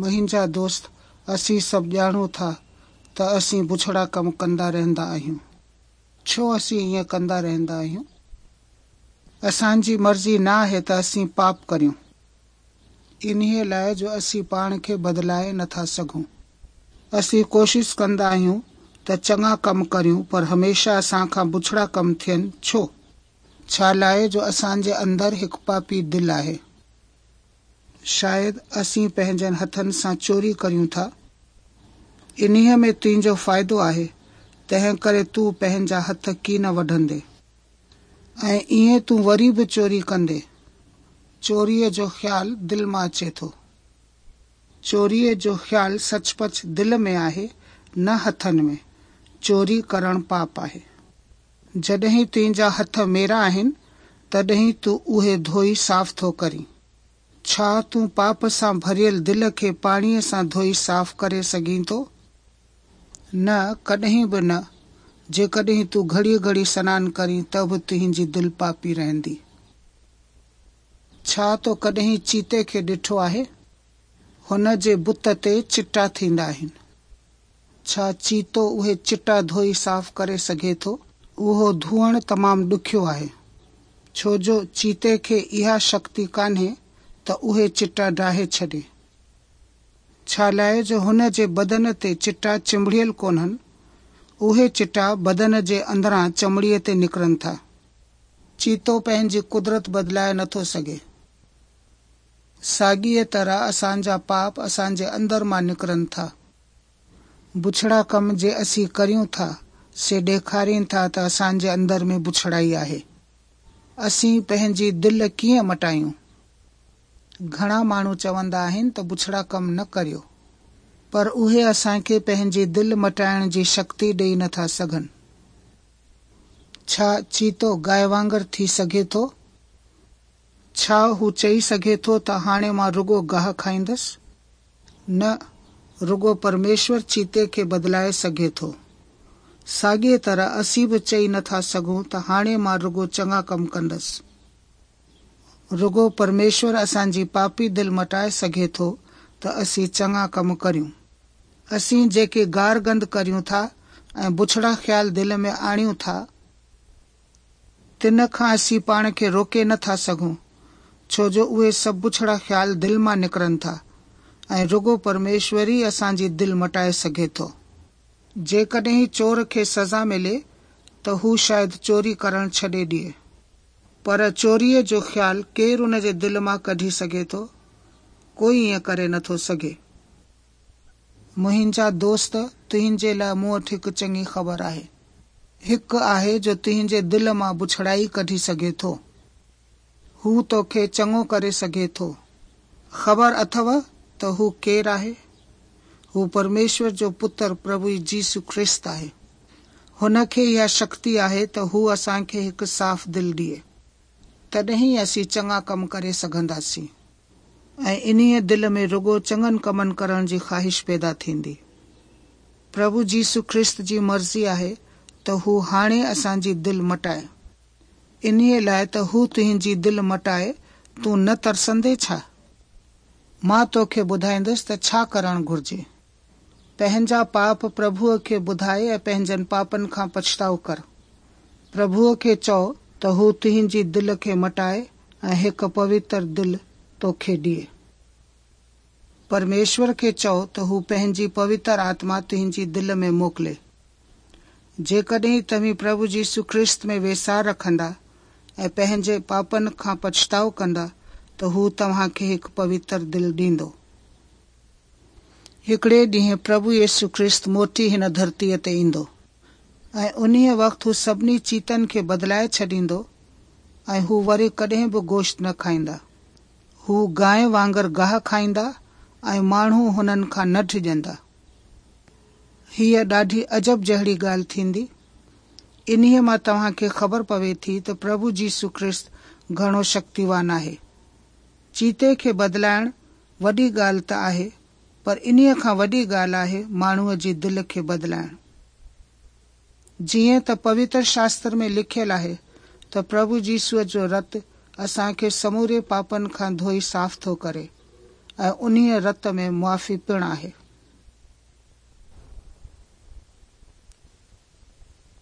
منهنجا دوست، اسين سڀ ڄاڻون ٿا ته اسين بڇڙا ڪم ڪندا رهندا آهيون. ڇو اسين ائين ڪندا رهندا آهيون؟ اسان جي مرضي نه آهي ته اسين پاپ ڪريون. انهيء لاء جو اسين پاڻ کي بدلائي نه ٿا سگهون. اسين ڪوشش ڪندا آهيون ته چڱا ڪم ڪريون پر هميشه اسان کان بڇڙا ڪم ٿين. ڇو؟ ڇا لاء جو اسان جي اندر هڪ پاپي دل آهي. شايد اسين پنهنجن هٿن سان چوري ڪريون ٿا. انهيء ۾ تنهنجو فائدو آهي، تنهنڪري تون پنهنجا هٿ ڪين وڍندين. ۽ ائين تون وري به چوري ڪندين. چوريء جو خيال دل مان اچي ٿو. چوريء جو خيال سچ پچ دل ۾ آهي، نه هٿن ۾. چوري ڪرڻ پاپ آهي. جڏهن تنهنجا هٿ ميرا آهن، تڏهن تون اهي ڌوئي صاف ٿو ڪرين. ڇا تون پاپ سان ڀريل دل کي پاڻيء سان ڌوئي صاف ڪري سگهين ٿو؟ نه، ڪڏهن به نه. جيڪڏهن تون گهڙيء گهڙيء سنان ڪرين ته به تنهنجي دل پاپي رهندي. ڇا تو ڪڏهن چيتي کي ڏٺو آهي؟ هن جي بت تي چٽا ٿيندا آهن. ڇا چيتو اهي چٽا ڌوئي صاف ڪري سگهي ٿو؟ اهو ڌوئڻ تمام ڏکيو آهي، ڇو جو چيتي کي اها شڪتي ڪانهي ته اهي چٽا ڊاهي ڇڏي. ڇالاء جو هن جي بدن تي چٽا چنبڙيل ڪونهن، اهي چٽا بدن جي اندران چمڙيء تي نڪرن ٿا. چيتو پنهنجي قدرت بدلائي نٿو سگهي. ساڳيء طرح اسان جا پاپ اسان جي اندر مان نڪرن ٿا. بڇڙا ڪم جي اسين ڪريون ٿا، سي ڏيکارين ٿا ته اسان جي اندر ۾ بڇڙائي آهي. اسين پنهنجي دل ڪيئن مٽايون؟ گهڻا ماڻهو چوندا آهن ته بڇڙا ڪم نه ڪريو، پر اهي اسان کي پنهنجي دل مٽائڻ جي شڪتي ڏئي نه ٿا سگهن. ڇا چيتو گاء وانگر ٿي سگهي ٿو؟ ڇا هو چئي سگهي ٿو ته هاڻي مان رڳو گاهه کائيندس؟ نه، رڳو پرميشور چيتي کي بدلائي سگهي ٿو. ساڳيء طرح اسين به چئي نه ٿا سگهون ته هاڻي مان رڳو چڱا ڪم ڪندس. رڳو پرميشور اسان جي پاپي دل مٽائي سگهي ٿو ته اسين چڱا ڪم ڪريون. اسين جيڪي گارگند ڪريون ٿا ۽ بڇڙا خيال دل ۾ آڻيون ٿا، تن کان اسين پاڻ کي روڪي نه ٿا سگهون، ڇو جو اهي سڀ بڇڙا خيال دل مان نڪرن ٿا ۽ رڳو پرميشور ئي اسان جي دل مٽائي سگهي ٿو. جيڪڏهن چور کي سزا ملي ته هو شايد چوري ڪرڻ ڇڏي ڏئي. پر چوريء جو خيال ڪير ان جي دل مان ڪڍي سگهي ٿو؟ ڪوئي ائين ڪري نه ٿو سگهي. منهنجا دوست، تنهنجي لاء مون وٽ هڪ چڱي خبر آهي. هڪ آهي جو تنهنجي دل مان بڇڙائي ڪڍي سگهي ٿو. هو توکي چڱو ڪري سگهي ٿو. خبر اٿئو ته هو ڪير آهي؟ هو پرميشور جو پتر پرڀو يسوع خريست آهي. هن کي اها شڪتي آهي ته هو اسان کي هڪ صاف دل ڏئي. تڏهن ئي اسين چڱا ڪم ڪري سگهنداسين ۽ انهيء دل ۾ رڳو چڱن ڪمن ڪرڻ جي خواهش پيدا ٿيندي. پرڀو يسوع خريست جي مرضي آهي ته هو هاڻي اسان جي دل مٽائي. انهيء لاء ته هو تنهنجي دل مٽائي، تون نه ترسندين ڇا؟ مان توکي ٻڌائيندس ته ڇا ڪرڻ گهرجي. پنهنجا پاپ پرڀوء کي ٻڌاء ۽ پنهنجن پاپن کان پڇتاء ڪر. پرڀوء کي چئو ته هو تنهنجي دل کي مٽائي ۽ هڪ پوتر دل توکي ڏئي. پرميشور کي چئو ته هو پنهنجي پوتر آتما تنهنجي دل ۾ موڪلي. جيڪڏهن توهين پرڀو يسوع خريست ۾ ويساهه رکندا ۽ پنهنجي پاپن کان پڇتاء ڪندا ته هو توهان کي هڪ پوتر دل ڏيندو. هڪڙي ڏينهن پرڀو يسوع خريست موٽي هن ڌرتيء تي ايندو ۽ انهيء وقت هو سڀني چيتن کي بدلائي ڇڏيندو ۽ هو وري ڪڏهن به گوشت نه کائيندا. هو گانء وانگر گاهه کائيندا ۽ ماڻهو هنن کان نه ڊڄندا. هيء ڏاڍي عجب جهڙي ڳالهه ٿيندي. انهيء مان توهان کي خبر پوي ٿي ته پرڀو يسوع خريست گهڻو شڪتيوان آهي. چيتي کي بدلائڻ وڏي ڳالهه ته آهي، پر انهيء کان وڏي ڳالهه آهي ماڻهوء جي دل کي بدلائڻ. جيئن ته پوتر شاستر ۾ لکيل آهي ته پرڀو يسوع جو رت اسان کي سموري پاپن کان ڌوئي صاف ٿو ڪري. ۽ انهيء رت ۾ معافي پڻ آهي.